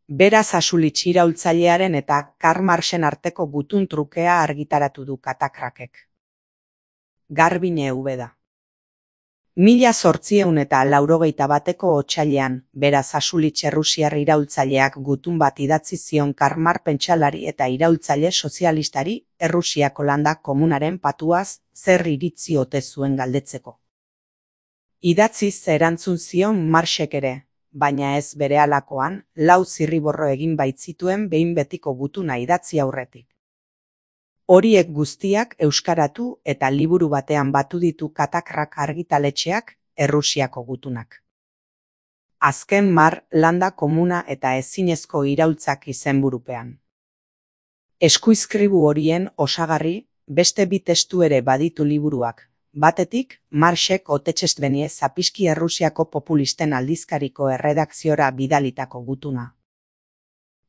Beraz Xasulitz iraultzailearen eta Karl Marxen arteko gutun trukea argitaratu du Katakrakek. Garbiñe Ubeda. 1881 otsailean, beraz Xasulitz errusiar iraultzaileak gutun bat idatzi zion Karl Marx pentsalari eta iraultzaile sozialistari Errusiako landa komunaren patuaz zer iritzi ote zuen galdetzeko. Idatziz erantzun zion Marxek ere, baina ez berehalakoan, 4 zirriborro egin baitzituen behin betiko gutuna idatzi aurretik. Horiek guztiak euskaratu eta liburu batean batu ditu Katakrak argitaletxeak Errusiako gutunak. Azken Marx landa komuna eta ezinezko iraultzak izenburupean. Eskuizkribu horien osagarri, beste bi testu ere baditu liburuak. Batetik, Marxek Otechestvenye Zapiski Errusiako populisten aldizkariko erredakziora bidalitako gutuna.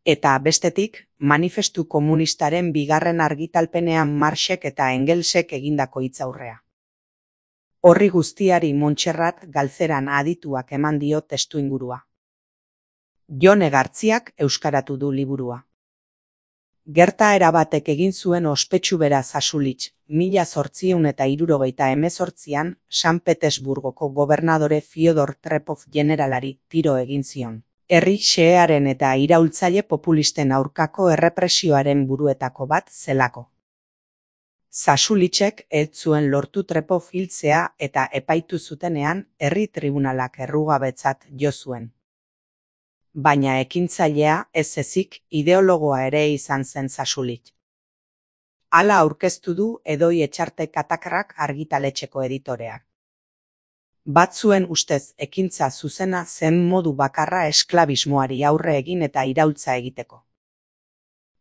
Eta bestetik, Manifestu Komunistaren bigarren argitalpenean Marxek eta Engelsek egindako hitzaurrea. Horri guztiari Montserrat Galzeran adituak eman dio testuingurua. Jone Gartziak euskaratu du liburua. Gertaera batek egin zuen ospetsu beraz Xasulitz, 1878an San Petersburgoko gobernadore Fyodor Trepov generalari tiro egin zion. Herri xehearen eta iraultzaile populisten aurkako errepresioaren buruetako bat zelako. Xasulitzek ez zuen lortu Trepov hiltzea eta epaitu zutenean herri tribunalak errugabetzat jo zuen. Baina ekintzailea ez ezik ideologoa ere izan zen Xasulitz. Hala aurkeztu du Edoi Etxarte Katakrak argitaletxeko editoreak. Batzuen ustez ekintza zuzena zen modu bakarra esklabismoari aurre egin eta iraultza egiteko.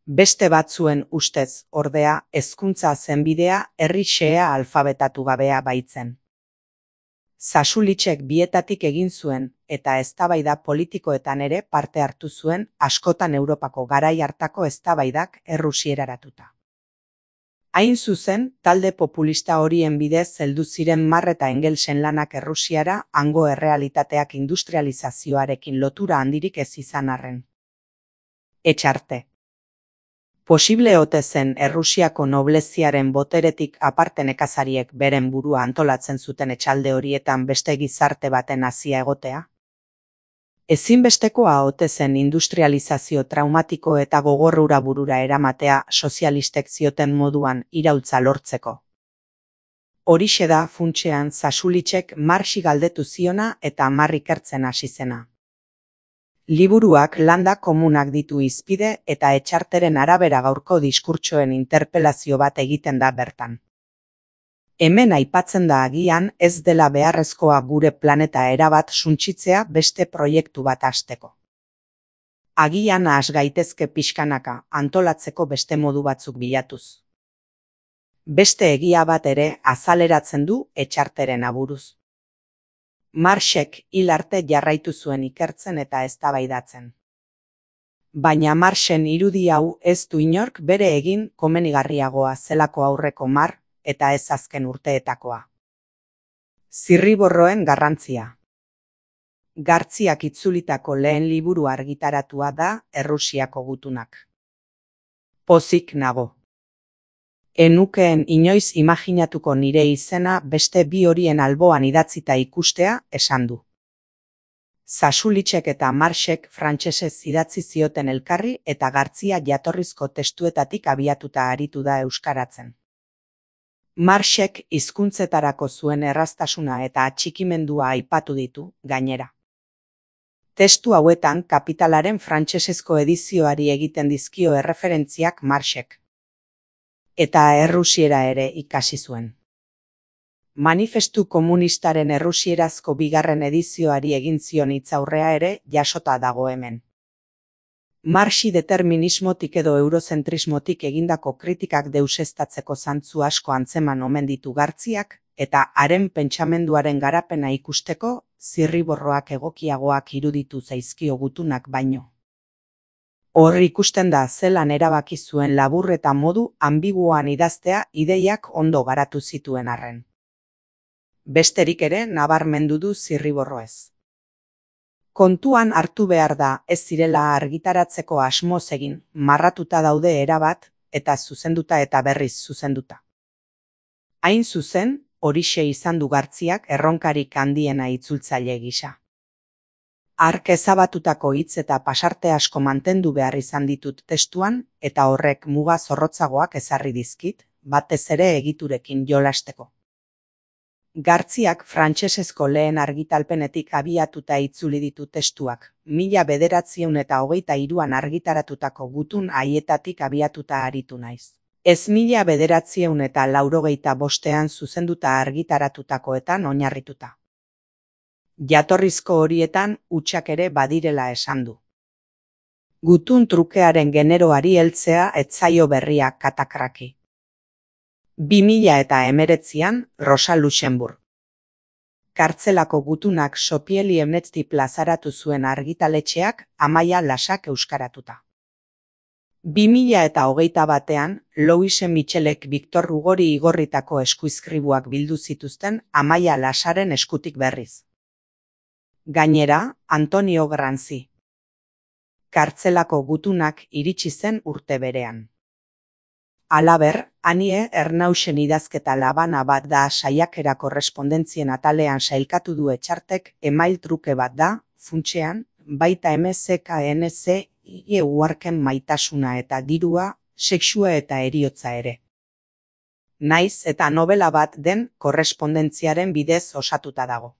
Beste batzuen ustez, ordea, hezkuntza zen bidea herri xehea alfabetatu gabea baitzen. Xasulitzek bietatik egin zuen eta eztabaida politikoetan ere parte hartu zuen askotan Europako garai hartako eztabaidak errusieraratuta. Hain zuzen, talde populista horien bidez heldu ziren Marx eta Engelsen lanak Errusiara hango errealitateak industrializazioarekin lotura handirik ez izan arren. Etxarte. Posible ote zen Errusiako nobleziaren boteretik aparte nekazariek beren burua antolatzen zuten etxalde horietan beste gizarte baten hazia egotea? Ezinbestekoa ote zen industrializazio traumatiko eta gogorrura burura eramatea sozialistek zioten moduan iraultza lortzeko. Horixe da funtsean Xasulitzek Marxi galdetu ziona eta Marx ikertzen hasi zena. Liburuak landa komunak ditu hizpide eta Etxarteren arabera gaurko diskurtsoen interpelazio bat egiten da bertan. Hemen aipatzen da agian ez dela beharrezkoa gure planeta erabat suntsitzea beste proiektu bat hasteko. Agian has gaitezke pixkanaka antolatzeko beste modu batzuk bilatuz. Beste egia bat ere azaleratzen du Etxarteren aburuz. Marxek hil arte jarraitu zuen ikertzen eta eztabaidatzen. Baina Marxen irudi hau ez du inork bere egin komenigarriagoa zelako aurreko Marx eta ez azken urteetakoa. Zirriborroen garrantzia. Gartziak itzulitako lehen liburu argitaratua da Errusiako gutunak. Pozik nago. Enukeen inoiz imaginatuko nire izena beste bi horien alboan idatzita ikustea esan du. Xasulitzek eta Marxek frantsesez idatzi zioten elkarri eta Gartzia jatorrizko testuetatik abiatuta aritu da euskaratzen. Marxek hizkuntzetarako zuen erraztasuna eta atxikimendua aipatu ditu, gainera. Testu hauetan Kapitalaren frantsesezko edizioari egiten dizkio erreferentziak Marxek. Eta errusiera ere ikasi zuen. Manifestu Komunistaren errusierazko bigarren edizioari egin zion hitzaurrea ere jasota dago hemen. Marxi determinismotik edo eurozentrismotik egindako kritikak deuseztatzeko zantzu asko antzeman omen ditu Gartziak, eta haren pentsamenduaren garapena ikusteko zirriborroak egokiagoak iruditu zaizkio gutunak baino. Hor ikusten da zelan erabaki zuen labur eta modu ambiguoan idaztea ideiak ondo garatu zituen arren. Besterik ere nabarmendu du zirriborroez. Kontuan hartu behar da ez zirela argitaratzeko asmoz egin, marratuta daude erabat, eta zuzenduta eta berriz zuzenduta. Hain zuzen, horixe izan du Gartziak erronkarik handiena itzultzaile gisa. Hark ezabatutako hitz eta pasarte asko mantendu behar izan ditut testuan, eta horrek muga zorrotzagoak ezarri dizkit, batez ere egiturekin jolasteko. Gartziak frantsesezko lehen argitalpenetik abiatuta itzuli ditu testuak, 1923an argitaratutako Gutun haietatik abiatuta aritu naiz. Ez 1985ean zuzenduta argitaratutakoetan oinarrituta. Jatorrizko horietan hutsak ere badirela esan du. Gutun trukearen generoari heltzea ez zaio berria katakraki. 2019an Rosa Luxemburg. Kartzelako gutunak Sopieli Emnetzti plazaratu zuen argitaletxeak Amaia Lasak euskaratuta. 2021an Louise Michelek Victor Hugori igorritako eskuizkribuak bildu zituzten Amaia Lasaren eskutik berriz. Gainera, Antonio Granzi. Kartzelako gutunak iritsi zen urte berean. Halaber, Anie Ernausen idazketa labana bat da saiakera korrespondentzien atalean sailkatu du Etxartek email truke bat da, funtsean, baita MSKNC uharken maitasuna eta dirua, sexua eta heriotza ere. Naiz eta novela bat den korrespondentziaren bidez osatuta dago.